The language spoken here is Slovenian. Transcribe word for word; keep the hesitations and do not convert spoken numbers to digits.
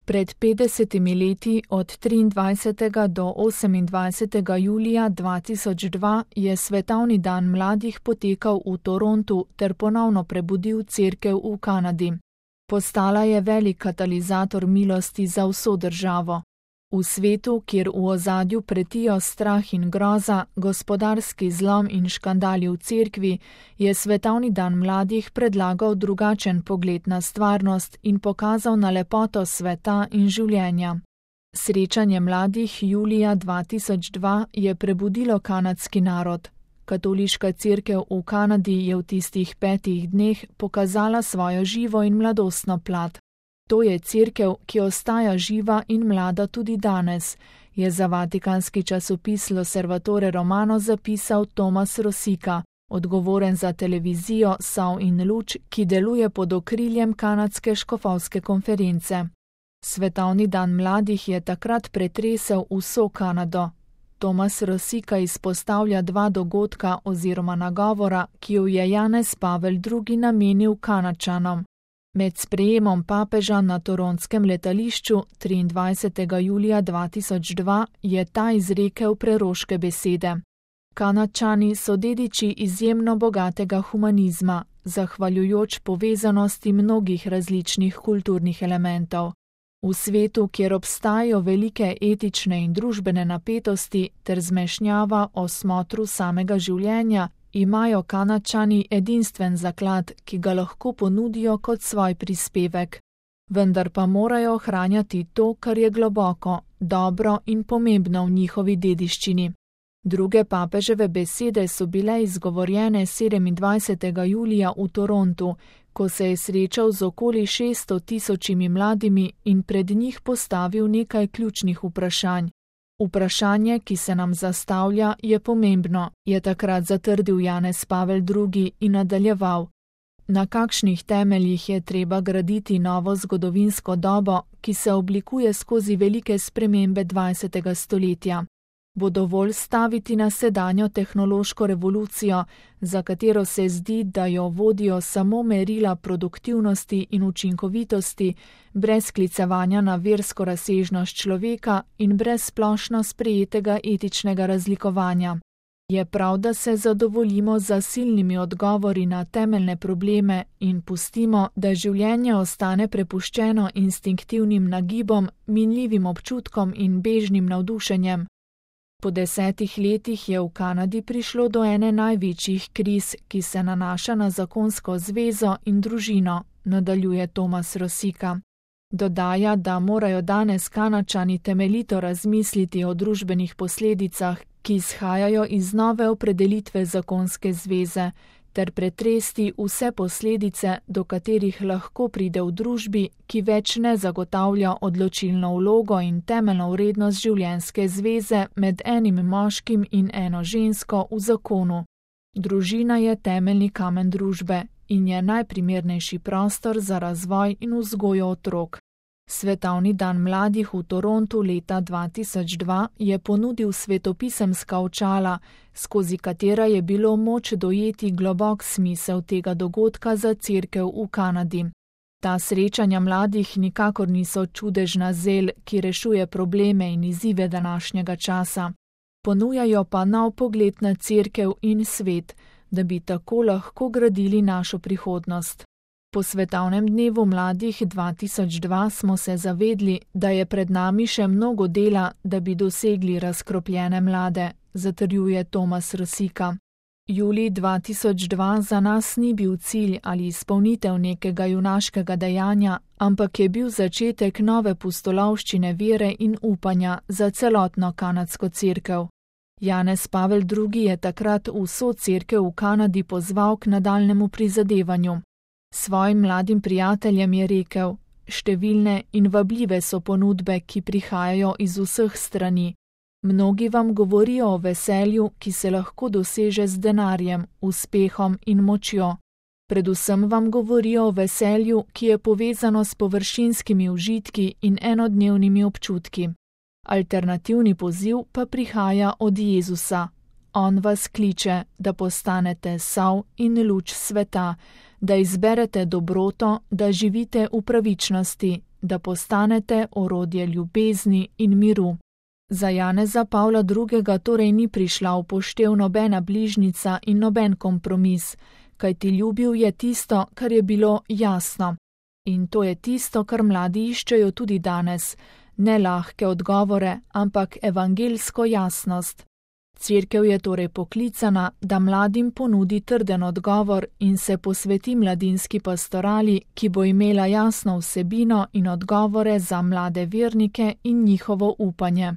Pred petdesetimi leti, od triindvajsetega do osemindvajsetega julija dva tisoč dva, je Svetovni dan mladih potekal v Torontu ter ponovno prebudil cerkev v Kanadi. Postala je velik katalizator milosti za vso državo. V svetu, kjer v ozadju pretijo strah in groza, gospodarski zlom in škandali v cerkvi, je Svetovni dan mladih predlagal drugačen pogled na stvarnost in pokazal na lepoto sveta in življenja. Srečanje mladih julija dva tisoč dva je prebudilo kanadski narod. Katoliška cerkev v Kanadi je v tistih petih dneh pokazala svojo živo in mladostno plat. To je cerkev, ki ostaja živa in mlada tudi danes, je za vatikanski časopis L'Osservatore Romano zapisal Tomas Rosika, odgovoren za televizijo Sol in luč, ki deluje pod okriljem kanadske škofovske konference. Svetovni dan mladih je takrat pretresel vso Kanado. Tomas Rosika izpostavlja dva dogodka oziroma nagovora, ki jo je Janez Pavel drugi namenil Kanadčanom. Med sprejemom papeža na toronskem letališču triindvajsetega julija dva tisoč dva je ta izrekel preroške besede. Kanadčani so dediči izjemno bogatega humanizma, zahvaljujoč povezanosti mnogih različnih kulturnih elementov. V svetu, kjer obstajajo velike etične in družbene napetosti ter zmešnjava o smotru samega življenja, imajo Kanadčani edinstven zaklad, ki ga lahko ponudijo kot svoj prispevek. Vendar pa morajo ohranjati to, kar je globoko, dobro in pomembno v njihovi dediščini. Druge papeževe besede so bile izgovorjene sedemindvajsetega julija v Torontu, ko se je srečal z okoli šeststo tisočimi mladimi in pred njih postavil nekaj ključnih vprašanj. Vprašanje, ki se nam zastavlja, je pomembno, je takrat zatrdil Janez Pavel drugi in nadaljeval. Na kakšnih temeljih je treba graditi novo zgodovinsko dobo, ki se oblikuje skozi velike spremembe dvajsetega stoletja? Bo dovolj staviti na sedanjo tehnološko revolucijo, za katero se zdi, da jo vodijo samo merila produktivnosti in učinkovitosti, brez sklicevanja na versko razsežnost človeka in brez splošno sprejetega etičnega razlikovanja? Je prav, da se zadovoljimo z silnimi odgovori na temeljne probleme in pustimo, da življenje ostane prepuščeno instinktivnim nagibom, minljivim občutkom in bežnim navdušenjem? Po desetih letih je v Kanadi prišlo do ene največjih kriz, ki se nanaša na zakonsko zvezo in družino, nadaljuje Tomas Rosika. Dodaja, da morajo danes Kanadčani temeljito razmisliti o družbenih posledicah, ki izhajajo iz nove opredelitve zakonske zveze, ter pretresti vse posledice, do katerih lahko pride v družbi, ki več ne zagotavlja odločilno vlogo in temeljno vrednost življenjske zveze med enim moškim in eno žensko v zakonu. Družina je temeljni kamen družbe in je najprimernejši prostor za razvoj in vzgojo otrok. Svetovni dan mladih v Torontu leta dva tisoč dva je ponudil svetopisemska očala, skozi katera je bilo moč dojeti globok smisel tega dogodka za cerkev v Kanadi. Ta srečanja mladih nikakor niso čudežna zel, ki rešuje probleme in izzive današnjega časa. Ponujajo pa nov pogled na cerkev in svet, da bi tako lahko gradili našo prihodnost. Po Svetovnem dnevu mladih dva tisoč dva smo se zavedli, da je pred nami še mnogo dela, da bi dosegli razkropljene mlade, zatrjuje Tomas Rosika. Julij dva tisoč dva za nas ni bil cilj ali izpolnitev nekega junaškega dejanja, ampak je bil začetek nove pustolovščine vere in upanja za celotno kanadsko cerkev. Janez Pavel drugi je takrat vso cerkev v Kanadi pozval k nadaljnemu prizadevanju. Svojim mladim prijateljem je rekel: številne in vabljive so ponudbe, ki prihajajo iz vseh strani. Mnogi vam govorijo o veselju, ki se lahko doseže z denarjem, uspehom in močjo. Predvsem vam govorijo o veselju, ki je povezano s površinskimi užitki in enodnevnimi občutki. Alternativni poziv pa prihaja od Jezusa. On vas kliče, da postanete sol in luč sveta, da izberete dobroto, da živite v pravičnosti, da postanete orodje ljubezni in miru. Za Janeza Pavla drugega torej ni prišla v poštev nobena bližnica in noben kompromis, kajti ljubil je tisto, kar je bilo jasno. In to je tisto, kar mladi iščejo tudi danes, ne lahke odgovore, ampak evangelsko jasnost. Cerkev je torej poklicana, da mladim ponudi trden odgovor in se posveti mladinski pastorali, ki bo imela jasno vsebino in odgovore za mlade vernike in njihovo upanje.